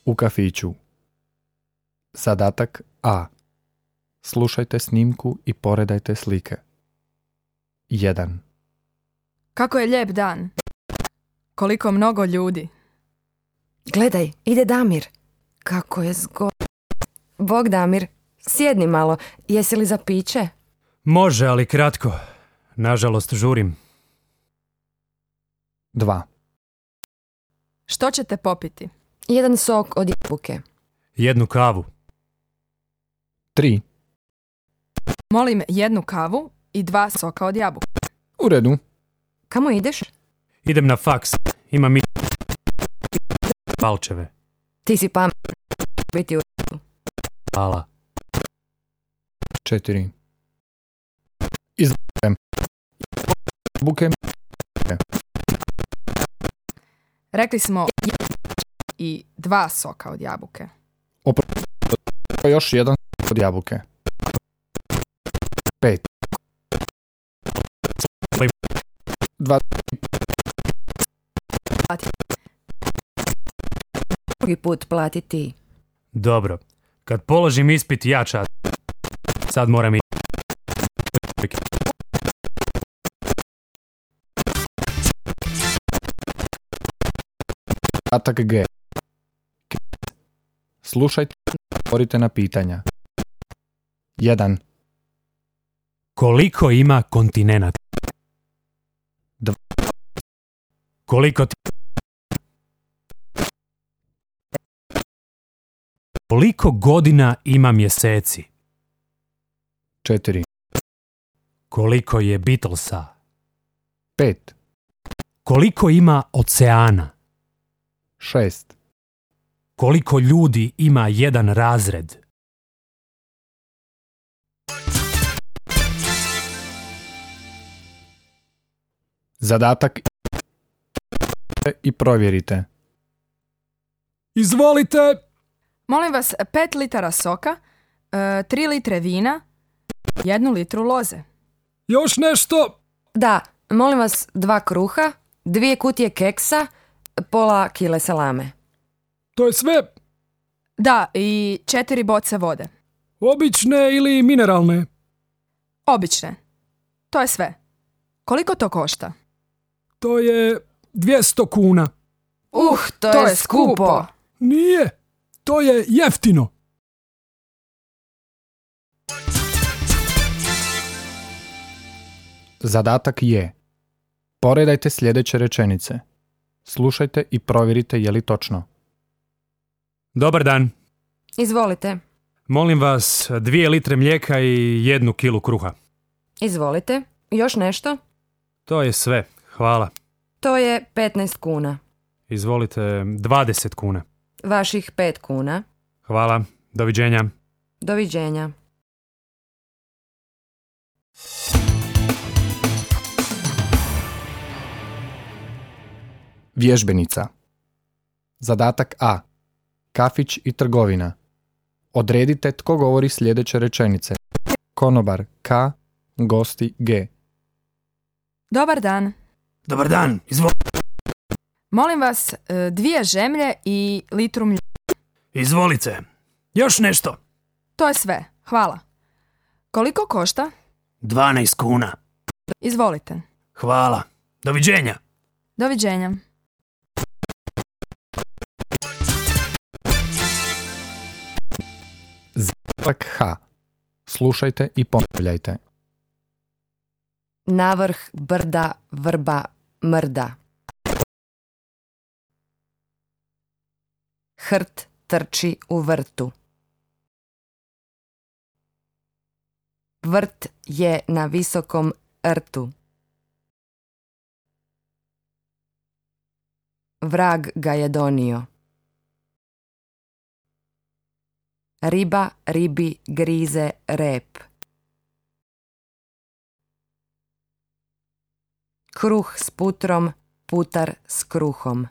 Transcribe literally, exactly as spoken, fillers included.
U kafiću. Zadatak A. Slušajte snimku i poredajte slike. jedan. Kako je lijep dan. Koliko mnogo ljudi. Gledaj, ide Damir. Kako je zgodno. Bog Damir, sjedni malo. Jesi li za piće? Može, ali kratko. Nažalost, žurim. dva. Što ćete popiti? Jedan sok od jabuke. Jednu kavu. tri. Molim jednu kavu i dva soka od jabuke. U redu. Kamo ideš? Idem na faks. Imam mi... palčeve. Ti si pamet. Biti u... Hvala. četiri. Izvolite. Jabuke. Rekli smo i dva soka od jabuke. Opravo još jedan sok od jabuke. pet. dva. Drugi put plati ti. Dobro. Kad položim ispit, ja čas. Sad moram i... Zadatak G. Slušajte i odgovorite na pitanja. jedan. Koliko ima kontinenata? Dva. Koliko ti... Koliko godina ima mjeseci? četiri. Koliko je Beatlesa? pet. Koliko ima oceana? šest. Koliko ljudi ima jedan razred? Zadatak i provjerite. Izvolite! Molim vas pet litara soka, e, tri litre vina, jednu litru loze. Još nešto? Da, molim vas dva kruha, dvije kutije keksa, pola kile salame. To je sve? Da, i četiri boce vode. Obične ili mineralne? Obične. To je sve. Koliko to košta? To je dvjesto kuna. Uh, to, To je je skupo. skupo. Nije, to je jeftino. Zadatak je: poredajte sljedeće rečenice. Slušajte i provjerite je li točno. Dobar dan. Izvolite. Molim vas dvije litre mlijeka i jednu kilu kruha. Izvolite. Još nešto? To je sve. Hvala. To je petnaest kuna. Izvolite dvadeset kuna. Vaših pet kuna. Hvala. Doviđenja. Doviđenja. Vježbenica. Zadatak A. Kafić i trgovina. Odredite tko govori sljedeće rečenice. Konobar K, gosti G. Dobar dan. Dobar dan. Izvolite. Molim vas e, dvije žemlje i litru mlijeka. Izvolite. Još nešto. To je sve. Hvala. Koliko košta? dvanaest kuna. Izvolite. Hvala. Doviđenja. Doviđenja. Zadatak H. Slušajte i ponavljajte. Navrh brda vrba mrda. Hrt trči u vrtu. Vrt je na visokom rtu. Vrag ga je donio. Riba ribi grize rep. Kruh s putrom, putar s kruhom.